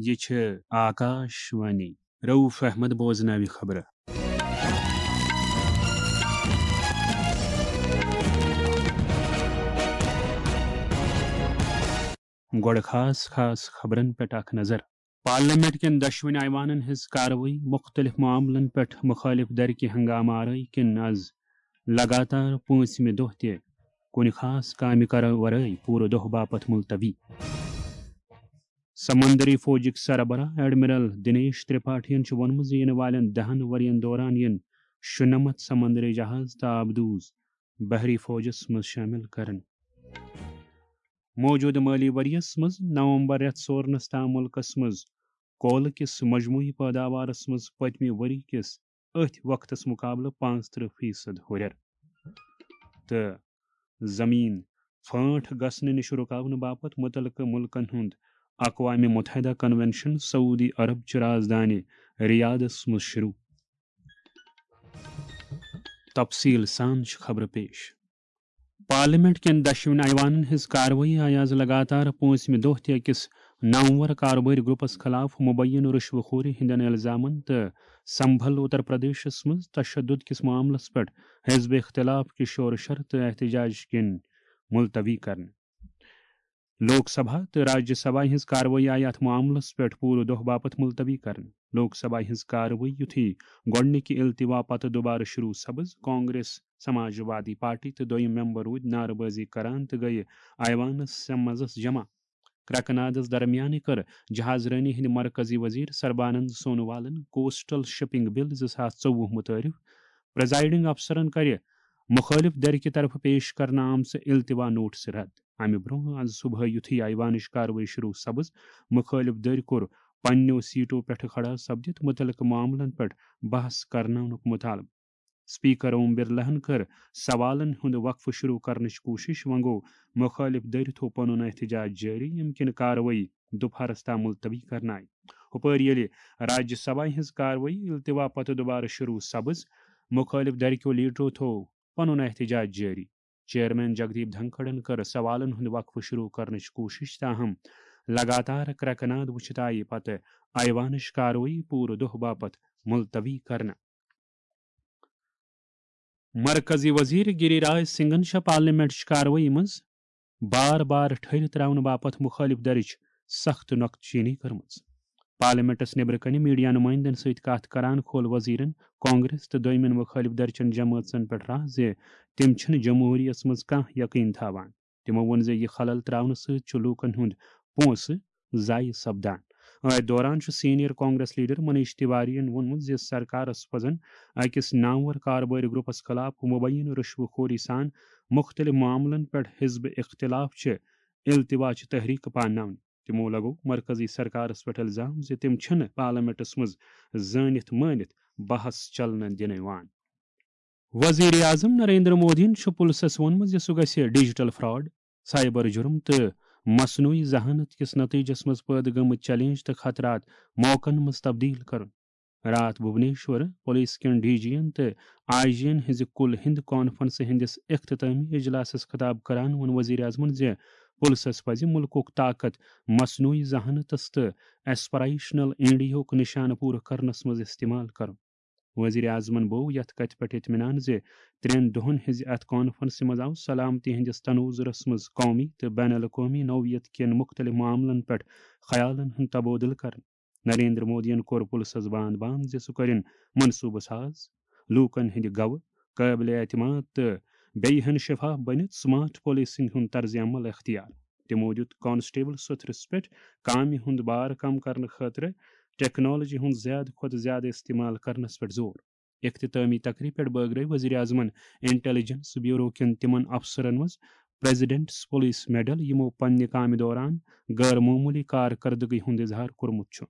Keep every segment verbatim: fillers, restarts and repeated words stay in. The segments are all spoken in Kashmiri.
یہِ چھِ آکاش وانی۔ رؤف احمد بوزناوِ خبرٕ۔ گۄڈٕ خاص خاص خبرن پٮ۪ٹھ اکھ نظر۔ پارلیمنٹ کٮ۪ن دۄشوٕنۍ ایوانن ہٕنٛز کاروٲیی، مُختٔلِف معاملن پٮ۪ٹھ مُخٲلِف دھرِ کہِ ہنگامہٕ آرٲیی کِنۍ از لگاتار پٲنٛژمہِ دۄہ تہِ کُنہِ خاص کامہِ کرٕ ورٲے پوٗرٕ دۄہ باپتھ ملتوی۔ سمندری فوجٕکۍ سربراہ ایڈمرل دنیش ترپاٹھین چھُ ووٚنمُت زِ یِنہٕ والٮ۪ن دَہَن ؤرین دوران یِن شُنَمَتھ سمندری جہاز تہٕ آبدوز بحری فوجس منٛز شٲمِل کرنہٕ۔ موجودٕ مٲلی ؤریَس منٛز نومبر رٮ۪تھ سورنَس تام مُلکَس منٛز کولہٕ کِس مجموعی پٲداوارَس منٛز پٔتمہِ ؤری کِس أتھۍ وقتَس مُقابلہٕ پانٛژترٕہ فیصد ہُرٮ۪ر۔ تہٕ زمین پھٲنٹھ گژھنہٕ نِش رُکاونہٕ باپتھ مُتعلقہٕ مُلکَن ہُنٛد اقوام متحدہ کنونشن سعودی عرب چہِ رازدانہِ ریاضس منٛز شروع۔ تفصیل سان چھِ خبرٕ پیش۔ پارلیمنٹ کٮ۪ن دۄشوٕنۍ ایوانن ہٕنٛز کاروٲیی آیہِ از لگاتار پٲنٛژمہِ دۄہ تہِ أکِس نامور کاربٲرۍ گروپس خلاف مبینہٕ رشوٕ خوری ہٕنٛدٮ۪ن الزامن تہٕ سمبھل اتر پردیشس منٛز تشدد کِس معاملس پٮ۪ٹھ حزب اختلاف کہِ شورٕ شر تہٕ احتجاج کِنۍ ملتوی کرنہٕ۔ لوک سبھا تہٕ راجیہ سبھا ہٕنٛز کاروٲیی آیہِ اتھ معاملس پٮ۪ٹھ پوٗرٕ دۄہ باپتھ ملتوی کرنہٕ۔ لوک سبھا ہٕنٛز کاروٲیی یُتھُے گۄڈٕنِکہِ التوا پتہٕ دوبارٕ شروع سپٕز، کانگریس، سماج وادی پارٹی تہٕ دوٚیِم ممبر روٗدۍ نعرٕ بٲزی کران تہٕ گٔیہِ ایوانس منٛزس جمع۔ کرٛکہٕ نادس درمیانٕے کٔر جہاز رٲنی ہٕنٛدِ مرکزی وزیر سربانند سونوالن کوسٹل شپنگ بل زٕ ساس ژوٚوُہ متعارف۔ پریزائیڈنگ افسرن کرِ مُخٲلِف دھرِ کہِ طرفہٕ پیش کرنہٕ آمژٕ التوا نوٹس رد۔ امہِ برونٛہہ از صبحٲے یُتھُے ایوانٕچ کاروٲیی شروع سپٕز، مُخٲلِف دھرِ کوٚر پننیو سیٹو پٮ۪ٹھٕ کھڑا سپدِتھ مُتعلقہٕ معاملن پٮ۪ٹھ بحث کرناونُک مطالبہٕ۔ اسپیکر اوم برلاہن کٔر سوالن ہُنٛد وقفہٕ شروع کرنٕچ کوٗشش، وۄنۍ گوٚو مُخٲلِف دھرِ تھوٚو پنُن احتجاج جٲری، ییٚمہِ کِنۍ کاروٲیی دُپہرس تام ملتوی کرنہٕ آیہِ۔ ہُپٲرۍ ییٚلہِ راجیہ سبھا ہٕنٛز کاروٲیی التوا پتہٕ دوبارٕ شروع سپٕز، مُخٲلِف دھرِ کیو لیڈرو تھوٚو پنُن احتجاج جٲری۔ چیئرمین جگدیپ دھنکھڑن کٔر سوالن ہُنٛد وقفہٕ شروع کرنٕچ کوٗشش، تاہم لگاتار کرٛکہٕ ناد وٕچھِتھ آیہِ پتہٕ ایوانٕچ کاروٲیی پوٗرٕ دۄہ باپتھ ملتوی کرنہٕ۔ مرکزی وزیر گری راج سنگھن چھےٚ پارلیمنٹٕچ کاروٲیی منٛز بار بار ٹھٔہرِتھ ترٛاونہٕ باپتھ مُخٲلِف دھرٕچ سخت نۄقطہٕ چینی کٔرمٕژ۔ پارلیمنٹس نیبرٕ کنہِ میڈیا نمائندن سۭتۍ کتھ کران کھول وزیرن کانگریس تہٕ دوٚیمٮ۪ن مُخٲلِف دھرچٮ۪ن جمٲژن پٮ۪ٹھ راہ زِ تِم چھِنہٕ جمہوریتس منٛز کانٛہہ یقین تھاوان۔ تِمو ووٚن زِ یہِ خلل ترٛاونہٕ سۭتۍ چھُ لوٗکن ہُنٛد پونٛسہٕ ضایع سپدان۔ أتھۍ دوران چھُ سینئر کانگریس لیڈر منیش تیوارین ووٚنمُت زِ سرکارس پزن أکِس نامور کاربٲرۍ گروپس خلاف مبینہٕ رشوٕ خوری سان مُختٔلِف معاملن پٮ۪ٹھ حزب اختلاف چہِ التوا چہِ تحریک پانناونہِ۔ تِمو لگوو مرکزی سرکارس پٮ۪ٹھ الزام زِ تِم چھِنہٕ پارلیمنٹس منٛز زٲنِتھ مٲنِتھ بحث چلنہٕ دِنہٕ یِوان۔ وزیر اعظم نریندر مودیَن چھُ پُلسَس ووٚنمُت زِ سُہ گژھِ ڈیجیٹل فراڈ، سائبر جرم تہٕ مصنوعی ذہانت کِس نتیجس منٛز پٲدٕ گٔمٕتۍ چیلنج تہٕ خطرات موقعن منٛز تبدیل کرُن۔ راتھ بھونیشور پولیس کٮ۪ن ڈی جی ین تہٕ آئی جی ین ہٕنٛزِ کُل ہِنٛد کانفرنسہِ ہٕنٛدِس اختتٲمی اجلاسس خطاب کران ووٚن وزیر اعظمن زِ پُلسَس پزِ مُلکُک طاقت مصنوعی ذہانتس تہٕ ایسپریشنل انڈیاہُک نشانہٕ پوٗرٕ کرنس منٛز استعمال کرُن۔ وزیر اعظمن بوو یتھ کتھِ پٮ۪ٹھ اطمینان زِ ترٛٮ۪ن دۄہن ہٕنٛزِ اتھ کانفرنسہِ منٛز آو سلامتی ہٕنٛدِس تنوظرس منٛز قومی تہٕ بین الاقوٲمی نوعیت کٮ۪ن مُختٔلِف معاملن پٮ۪ٹھ خیالن ہُنٛد تبادلہٕ کرنہٕ۔ نریندر مودیَن کوٚر پُلسَس باند باند زِ سُہ کٔرِن منصوٗبہٕ ساز، لوٗکن ہٕنٛدِ گوٚو، قٲبلِ اعتماد تہٕ بیٚیہِ ہن شفاف بٔنِتھ سمارٹ پولیسنگ ہُنٛد طرز عمل اختیار۔ تِمو دیُت کانسٹیبل سوٚتھرِس پٮ۪ٹھ کامہِ ہُنٛد بار کم کرنہٕ خٲطرٕ ٹیکنالوجی ہُنٛد زیادٕ کھۄتہٕ زیادٕ استعمال کرنس پٮ۪ٹھ زور۔ اختتٲمی تقریب پٮ۪ٹھ بٲگرٲوۍ وزیر اعظمن انٹیلیجنس بیورو کٮ۪ن تِمن افسرن منٛز پریزیڈنٹس پولیس میڈل، یِمو پننہِ کامہِ دوران غٲر معموٗلی کارکردگی ہُنٛد اظہار کوٚرمُت چھُ۔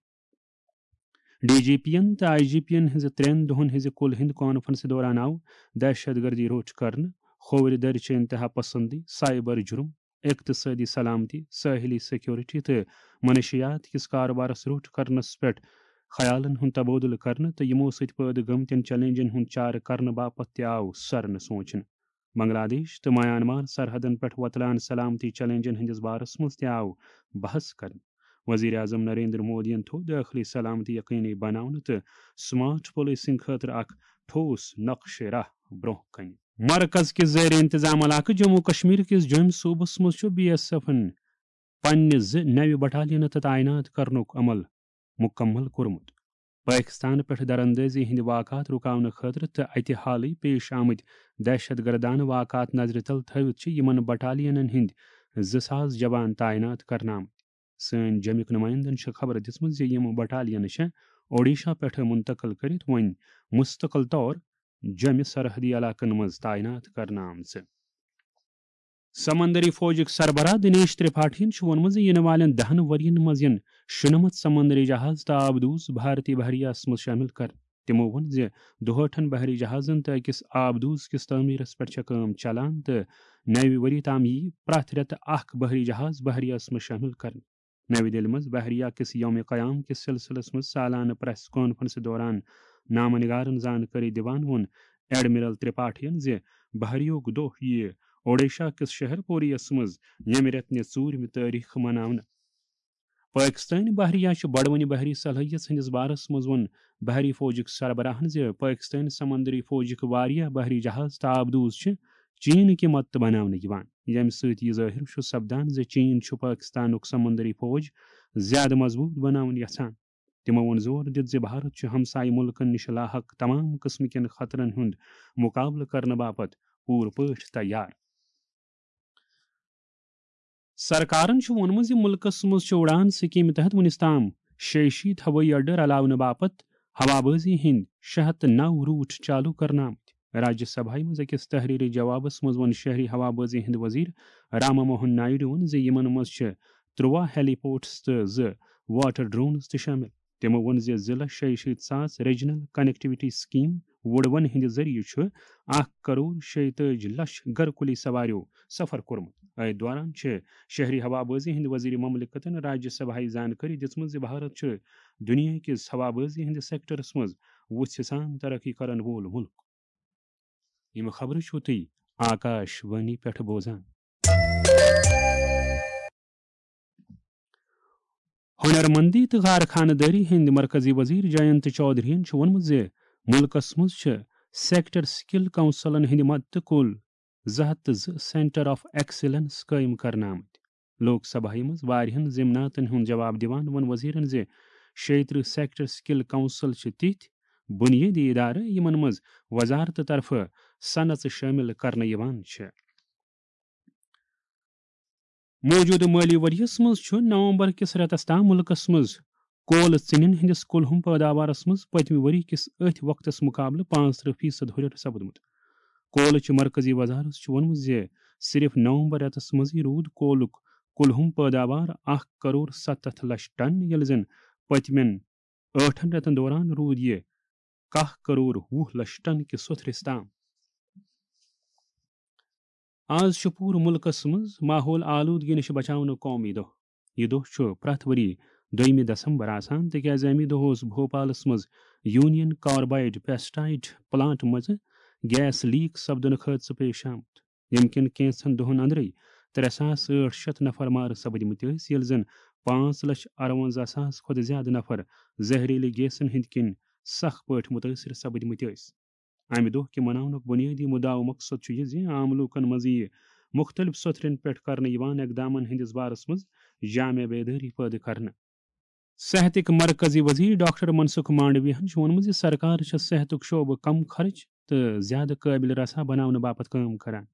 ڈی جی پی ین تہٕ آئی جی پی ین ہٕنٛزِ ترٛٮ۪ن دۄہن ہٕنٛزِ کُل ہِنٛد کانفرنسہِ دوران آو دہشت گردی روٚٹ کرنہٕ، کھوورِ دٔرچہِ انتہا پسندی، سائبر جرم، اقتصٲدی سلامتی، سٲحلی سیکورٹی تہٕ منشیات کِس کارٕبارس روٚٹ کرنس پٮ۪ٹھ خیالن ہُنٛد تبادلہٕ کرنہٕ تہٕ یِمو سۭتۍ پٲدٕ گٔمتٮ۪ن چیلنجن ہُنٛد چارٕ کرنہٕ باپتھ تہِ آو سرنہٕ سونچنہٕ۔ بنگلہ دیش تہٕ میانمار سرحدن پٮ۪ٹھ وۄتلان سلامتی چیلنجن ہٕنٛدِس بارس منٛز تہِ آو بحث کرنہٕ۔ وزیر اعظم نریندر مودیَن تھوٚو دٲخلی سلامتی یقینی بناونہٕ تہٕ سمارٹ پولیسنگ خٲطرٕ اکھ ٹھوس نقشہٕ راہ برونٛہہ کنہِ۔ مرکز کِس زیر انتظام علاقہٕ جموں کشمیر کِس جوٚمۍ صوبس منٛز چھُ بی ایس ایفن پننہِ زٕ نوِ بٹالینہٕ تہٕ تعینات کرنُک عمل مکمل کوٚرمُت۔ پٲکستان پٮ۪ٹھ دراندٲزی ہٕنٛدۍ واقعات رُکاونہٕ خٲطرٕ تہٕ اتہِ حالٕے پیش آمٕتۍ دہشت گردانہٕ واقعات نظرِ تل تھٲوِتھ چھِ یِمن بٹالینن ہٕنٛدۍ زٕ ساس جوان تعینات کرنہٕ آمٕتۍ۔ سٲنۍ جوٚمِکۍ نُمٲیندن چھِ خبر دِژمٕژ زِ یِم بٹالینہٕ چھِ اوڈیشہ پٮ۪ٹھٕ منتقل کٔرِتھ وۄنۍ مستقل طور جوٚمہِ سرحدی علاقن منٛز تعینات کرنہٕ آمژٕ۔ سمندری فوجٕکۍ سربراہ دنیش ترپاٹھین چھُ ووٚنمُت زِ یِنہٕ والٮ۪ن دَہَن ؤرۍ یَن منٛز یِن شُنَمَتھ سمندری جہاز تہٕ آبدوز بھارتی بحریہس منٛز شٲمِل کرنہٕ۔ تِمَو ووٚن زِ دُہٲٹھن بحری جہازن تہٕ أکِس آبدوز کِس تعمیٖرس پٮ۪ٹھ چھےٚ کٲم چلان تہٕ نَوِ ؤری تام یِیہِ پرٛٮ۪تھ رٮ۪تہٕ اکھ بحری جہاز بحریہس منٛز شٲمِل کرنہٕ۔ نَوِ دِلہِ منٛز بحریہ کِس یومِ قیام کِس سلسلس منٛز سالانہٕ پریس کانفرنسہِ دوران نامہ نگارن زانکٲری دِوان ووٚن ایڈمرل ترپاٹھین زِ بحریہُک دۄہ یِیہِ اوڈیشہ کِس شہر پوریَس منٛز ییٚمہِ رٮ۪تہٕ نہِ ژوٗرمہِ تٲریخ مناونہٕ۔ پٲکستٲنۍ بحریہ چھِ بڑوٕنہِ بحری صلٲحیژ ہٕنٛدِس بارس منٛز ووٚن بحری فوجٕکۍ سربراہن زِ پٲکستٲنۍ سمندری فوجٕکۍ واریاہ بحری جہاز تہٕ آبدوز چھِ چین کہِ مدتہٕ بناونہٕ یِوان، ییٚمہِ سۭتۍ یہِ ظٲہِر چھُ سپدان زِ چین چھُ پٲکستانُک سمندری فوج زیادٕ مضبوٗط بناوُن یژھان۔ تِمو ووٚن زور دِتھ زِ بھارت چھُ ہمسایہِ مُلکن نِش لاحق تمام قٕسمہٕ کٮ۪ن خطرن ہُنٛد مُقابلہٕ کرنہٕ باپتھ پوٗرٕ پٲٹھۍ تیار۔ سرکارن چھُ ووٚنمُت زِ مُلکَس منٛز چھُ اُڑان سکیٖمہِ تحت وُنِس تام شیٚیہِ شیٖتھ ہوٲیی اڈٕ رلاونہٕ باپتھ ہوابازی ہٕنٛدۍ شےٚ ہَتھ تہٕ نَو روٗٹ چالو کرنہٕ آمٕتۍ۔ راجیہ سبھایہ منٛز أکِس تحریری جوابس منٛز ووٚن شہری ہوابازی ہٕنٛدۍ وزیر راما موہن نائیڈوَن زِ یِمن منٛز چھِ ترٛواہ ہیلی پورٹس تہٕ زٕ واٹر ڈرونز تہِ شٲمِل۔ تِمو ووٚن زِ زٕ لچھ شیٚیہِ شیٖتھ ساس ریجنل کنیکٹیویٹی سکیٖم وُڑوَن ہٕنٛدِ ذٔریعہٕ چھُ اکھ کرور شیٚیہِ تٲجی لچھ گرکُلی سواریو سفر کوٚرمُت۔ أتھۍ دوران چھِ شہری ہوابازی ہٕنٛدۍ وزیر مملکتن راجیہ سبھایہ زانکٲری دِژمٕژ زِ بھارت چھُ دُنیا کِس ہوابازی ہٕنٛدِس سیکٹرس منٛز وُژھِ سان ترقی کرن وول مُلک۔ یِم خبرٕ چھِو تُہۍ آکاش وانی پٮ۪ٹھ بوزان۔ ہُنرمندی تہٕ کارخانہٕ دٲری ہٕنٛدۍ مرکزی وزیر جینت چودھرین چھُ ووٚنمُت زِ مُلکَس منٛز چھِ سیکٹر سکل کونسلن ہٕنٛدِ مدتہٕ کُل زٕ ہَتھ تہٕ زٕ سینٹر آف ایکسیلنس قٲیِم کرنہٕ آمٕتۍ۔ لوک سبھایہ منٛز واریاہَن ضمناتن ہُنٛد جواب دِوان ووٚن وزیرن زِ شیٚیہِ ترٕٛہ سیکٹر سکل کونسل چھِ تِتھۍ بُنیٲدی ادارٕ یِمن منٛز وزارتہٕ طرفہٕ صنعژٕ شٲمِل کرنہٕ یِوان چھِ۔ موجودٕ مٲلی ؤریَس منٛز چھُ نومبر کِس رٮ۪تَس تام مُلکَس منٛز کولہٕ ژِنٮ۪ن ہٕنٛدِس کُلہُم پٲداوارَس منٛز پٔتمہِ ؤری کِس أتھۍ وقتَس مُقابلہٕ پانٛژترٕٛہ فیصد ہُرٮ۪ر سپُدمُت۔ کولہٕ چہِ مرکزی وزارت چھُ ووٚنمُت زِ صرف نومبر رٮ۪تَس منٛزٕے روٗد کولُک کُلہُم پٲداوار اکھ کرور ستتھ لچھ ٹن، ییٚلہِ زَن پٔتمٮ۪ن ٲٹھن رٮ۪تَن دوران روٗد یہِ کاہ کرور وُہ لچھ ٹن کِس سوٚتھرِس تام۔ آز چھُ پوٗرٕ مُلکَس منٛز ماحول آلودگی نِش بچاونُک قومی دۄہ۔ یہِ دۄہ چھُ پرٛٮ۪تھ ؤری دوٚیمہِ دسمبر آسان، تِکیازِ اَمی دۄہ اوس بھوپالَس منٛز یونین کاربائیڈ پیسٹائیڈ پلانٹ منٛز گیس لیک سپدنُک حٲدثہٕ پیش آمُت، ییٚمہِ کِنۍ کینٛژھن دۄہَن اندرٕے ترٛےٚ ساس ٲٹھ شیٚتھ نفر مارٕ سپٕدمٕتۍ ٲسۍ، ییٚلہِ زَن پانٛژھ لچھ اَروَنزاہ ساس کھۄتہٕ زِیٛادٕ نفر زہریٖلہٕ گیسَن ہٕنٛدۍ کِنۍ سخ پٲٹھۍ مُتٲثِر سپٕدمٕتۍ ٲسۍ۔ امہِ دۄہ کہِ مناونُک بُنیٲدی مُدعا و مقصد چھُ یہِ زِ عام لوٗکن منٛز یِیہِ مُختٔلِف سوٚتھرٮ۪ن پٮ۪ٹھ کرنہٕ یِوان اقدامن ہٕنٛدِس بارس منٛز جامع بیدٲری پٲدٕ کرنہٕ۔ صحتٕکۍ مرکزی وزیر ڈاکٹر منسکھ مانڈویہن چھُ ووٚنمُت زِ سرکار چھےٚ صحتُک شعبہٕ کم خرچ تہٕ زیادٕ قٲبل رسا بناونہٕ باپتھ کٲم کران۔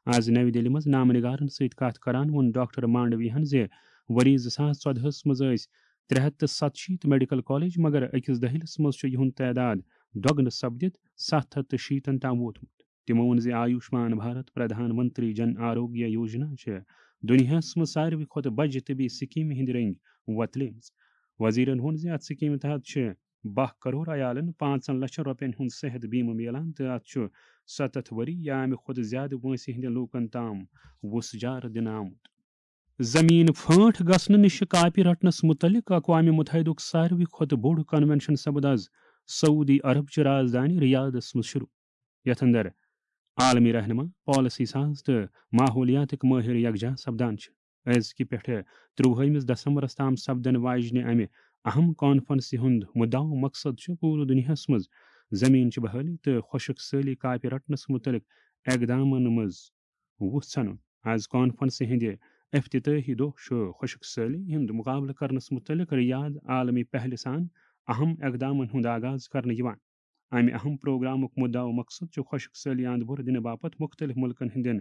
آز نَوِ دِلہِ منٛز نامہٕ نِگارن سۭتۍ کتھ کران ووٚن ڈاکٹر مانڈویہن زِ ؤری زٕ ساس ژۄدہَس منٛز ٲسۍ ترٛےٚ ہَتھ تہٕ ستشیٖتھ میڈیکل کالج، مگر أکِس دٔہلِس منٛز چھُ یِہُنٛد تعداد دۄگنہٕ سپدِتھ ستھ ہَتھ تہٕ شیٖتن تام ووتمُت۔ تِمو ووٚن زِ آیوشمان بھارت پردھان منتری جن آروگیہ یوجنا چھِ دُنیاہَس منٛز ساروی کھۄتہٕ بجہِ طبی سکیمہِ ہٕنٛدۍ رٔنگۍ وۄتلیمٕژ۔ وزیرن ووٚن زِ اتھ سکیمہِ تحت چھِ باہ کرور عیالن پانٛژن لچھن رۄپین ہُنٛد صحت بیمہٕ میلان تہٕ اتھ چھُ ستتھ ؤری یا امہِ کھۄتہٕ زیادٕ وٲنٛسہِ ہٕنٛدٮ۪ن لوٗکن تام وُژھ جار دِنہٕ آمُت۔ زمین پھٲنٹھ گژھنہٕ نِش کاپہِ رٹنس مُتعلق اقوام متحدُک ساروی کھۄتہٕ بوٚڑ کنونشن سپُد از سعودی عرب چہِ رازدانہِ ریاضس منٛز شروع، یتھ اندر عالمی رہنما، پالیسی ساز تہٕ ماحولیاتٕکۍ مٲہر یکجاہ سپدان چھِ۔ أزکہِ پٮ۪ٹھٕ ترٛوُہمِس دسمبرس تام سپدن واجنہِ امہِ اہم کانفرنسہِ ہُنٛد مُدعا و مقصد چھُ پوٗرٕ دُنیاہس منٛز زٔمیٖن چہِ بحٲلی تہٕ خۄشک سٲلی کاپہِ رٹنس مُتعلق اقدامن منٛز وُژھ ژھنُن۔ از کانفرنسہِ ہٕنٛدِ افتتاحی دۄہ چھُ خۄشک سٲلی ہُنٛد مُقابلہٕ کرنس مُتعلق ریاض عالمی پہلہِ سان اہم اقدامن ہُنٛد آغاز کرنہٕ یِوان۔ امہِ اہم پروگرامُک مُدعا و مقصد چھُ خۄشک سٲلی اند بُر دِنہٕ باپتھ مُختٔلِف مُلکن ہٕنٛدٮ۪ن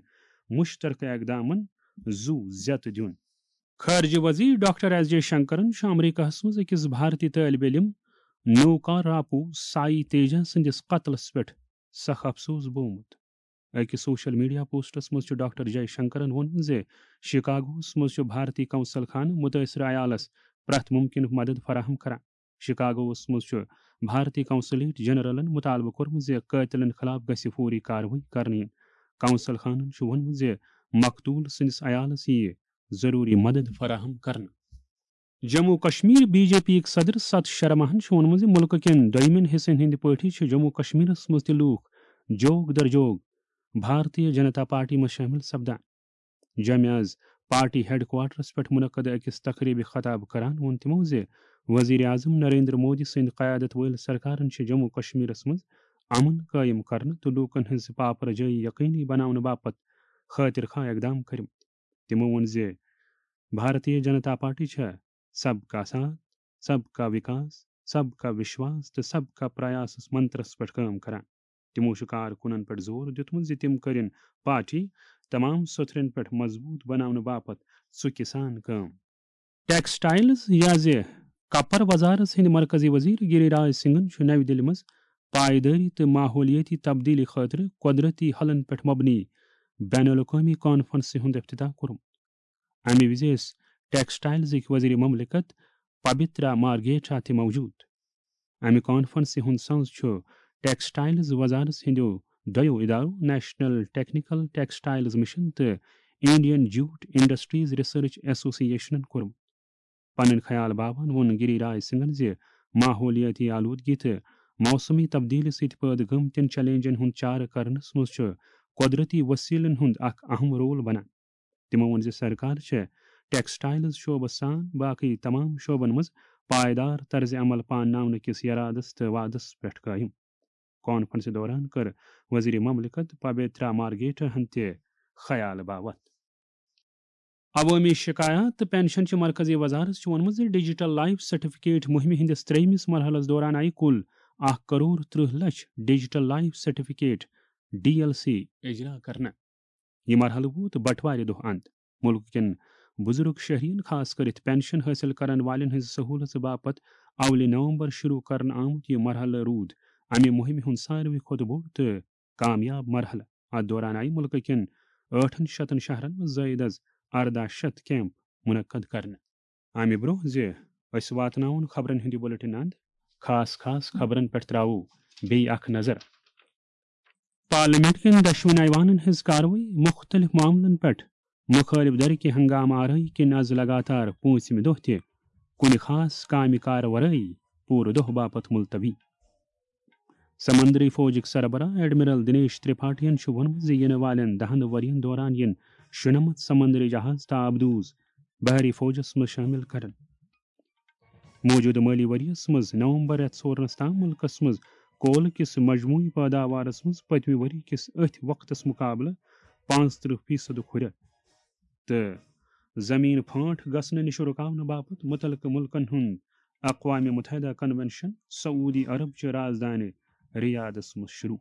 مُشترکہٕ اقدامن زُو زیتہٕ دیُن۔ خارجہ وزیر ڈاکٹر ایس جے شنکرن چھُ امریکہس منٛز أکِس بھارتی طٲلبِ علم نوکا راپو سائی تیجا سٕنٛدِس قتلس پٮ۪ٹھ سخ افسوس بوومُت۔ أکِس سوشل میڈیا پوسٹس منٛز چھُ ڈاکٹر جے شنکرن ووٚنمُت زِ شکاگوہس منٛز چھُ بھارتی قونصل خانہٕ مُتٲثرٕ عیالس پرٛٮ۪تھ مُمکِنُک مدد فراہم کران۔ شکاگوہس منٛز چھُ بھارتی قونصلیٹ جنرلن مطالبہٕ کوٚرمُت زِ قٲتلن خلاف گژھِ فوری کاروٲیی کرنہٕ یِنۍ۔ قونصل خانن چھُ ووٚنمُت زِ مقتول سٕنٛدِس عیالس یِیہِ ضروٗری مدد فراہم کرنہٕ۔ Jammu Kashmir B J P یِک صدر ستھ شرماہن چھُ ووٚنمُت زِ مُلکہٕ کٮ۪ن دوٚیمٮ۪ن حصن ہٕنٛدۍ پٲٹھۍ چھِ جموں کشمیرس منٛز تہِ لوٗکھ جوگ در جوگ بھارتیہ جنتا پارٹی منٛز شٲمِل سپدان۔ جوٚمہِ آز پارٹی ہیڈ کوارٹرس پٮ۪ٹھ منعقد أکِس تقریبہِ خطاب کران ووٚن تِمو زِ وزیر اعظم نریندر مودی سٕنٛدِ قیادت وٲلۍ سرکارن چھِ جموں کشمیرس منٛز امن قٲیِم کرنہٕ تہٕ لوٗکن ہٕنٛز پاپرجٲیی یقینی بناونہٕ باپتھ خٲطر خواہ اقدام کٔرمٕتۍ۔ تِمو ووٚن زِ بھارتیہ جنتا پارٹی چھےٚ سب کا ساتھ، سب کا وکاس، سب کا وشواس تہٕ سب کا پریاسس منترس پٮ۪ٹھ کٲم کران۔ تِمو چھُ کارکُنن پٮ۪ٹھ زور دیُتمُت زِ تِم کٔرِن پارٹی تمام سوٚتھرن پٮ۪ٹھ مضبوٗط بناونہٕ باپتھ ژُکہِ سان کٲم۔ ٹیکسٹائلز یا زِ کپر وزارت ہٕنٛدِ مرکزی وزیر گری راج سنگھن چھُ نَوِ دِلہِ منٛز پائیدٲری تہٕ ماحولیٲتی تبدیلی خٲطرٕ قۄدرتی حلن پٮ۪ٹھ مبنی بین الاقوٲمی کانفرنسہِ ہُنٛد افتتاح کوٚرمُت۔ امہِ وِزِ ٲسۍ ٹیکسٹائلزٕکۍ وزیر مملکت پبترا مارگیٹا تہِ موجود۔ امہِ کانفرنسہِ ہُنٛد سنز چھُ ٹیکسٹائلز وزارت ہٕنٛدیو دۄیو ادارو، نیشنل ٹیکنیکل ٹیکسٹائلز مشن تہٕ انڈین جوٹ انڈسٹریز ریسرچ ایسوسی ایشنن کوٚرمُت۔ پنٕنۍ خیال باوان ووٚن گری راج سنگھن زِ ماحولیٲتی آلودگی تہٕ موسمی تبدیلی سۭتۍ پٲدٕ گٔمتٮ۪ن چیلنجن ہُنٛد چارٕ کرنس منٛز چھُ قۄدرتی وسیلن ہُنٛد اکھ اہم رول بنان۔ تِمو ووٚن زِ سرکار چھےٚ ٹیکسٹائلز شعبس سان باقی تمام شعبن منٛز پائیدار طرز عمل پانناونہٕ کِس یرادس تہٕ وعدس پٮ۪ٹھ قٲیِم۔ کانفرنسہِ دوران کٔر وزیر مملکت پبیترا مارگیٹا ہن تہِ خیال باوتھ۔ عوٲمی شکایات تہٕ پنشن چہِ مرکزی وزارت چھُ ووٚنمُت زِ ڈیجیٹل لائف سرٹیفکیٹ مُہِمہِ ہٕنٛدِس ترٛیٚیمِس مرحلس دوران آیہِ کُل اکھ کرور ترٕٛہ لچھ digital life certificate, D L C, اجرا کرنہٕ۔ یہِ مرحلہٕ ووت بٹوارِ دۄہ اند۔ مُلکہٕ کٮ۪ن بُزرگ شہرین، خاص کٔرِتھ پنشن حٲصِل کرن والٮ۪ن ہٕنٛزِ سہوٗلژ باپتھ اولہِ نومبر شروع کرنہٕ آمُت یہِ مرحلہٕ روٗد امہِ مُہِمہِ ہُنٛد ساروٕے کھۄتہٕ بوٚڑ تہٕ کامیاب مرحلہٕ۔ اتھ دوران آیہِ مُلکہٕ کٮ۪ن ٲٹھن شتن شہرن منٛز زٲیِد از ارداہ شتھ کیمپ منعقد کرنہٕ۔ امہِ برٛونٛہہ زِ أسۍ واتناوون خبرن ہُنٛد یہِ بلیٹن اند، خاص خاص خبرن پٮ۪ٹھ ترٛاوو بیٚیہِ اکھ نظر۔ پارلیمنٹ کٮ۪ن دۄشوٕنی ایوانن ہٕنٛز کاروٲیی مُختٔلِف معاملن پٮ۪ٹھ مُخٲلِف دھرٕکہِ ہنگامہٕ آرٲیی کِنۍ از لگاتار پوٗنٛژمہِ دۄہ تہِ کُنہِ خاص کامہِ کار ورٲیی پوٗرٕ دۄہ باپتھ مُلتوی۔ سمندری فوجٕکۍ سربراہ ایڈمرل دنیش ترپاٹھین چھُ ووٚنمُت زِ یِنہٕ والٮ۪ن دَہَن ؤرین دوران یِن شُنَمَتھ سمندری جہاز تہٕ آبدوز بحری فوجس منٛز شٲمِل کرنہٕ۔ موجودٕ مٲلی ؤریَس منٛز نومبر رٮ۪تھ سورنَس تام مُلکَس منٛز کولہٕ کِس مجموعی پٲداوارَس منٛز پٔتمہِ ؤری کِس أتھۍ وقتَس مُقابلہٕ پانٛژترٕٛہ فیٖصد ہُرٮ۪ر تہٕ زمین پھانٹ گژھنہٕ نِش رُکاونہٕ باپتھ مُتعلقہٕ مُلکَن ہُنٛد اقوام متحدہ کنونشن سعودی عرب چہِ رازدانہِ ریاضس منٛز شروع۔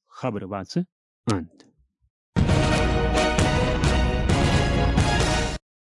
خبرٕ واژٕ اند۔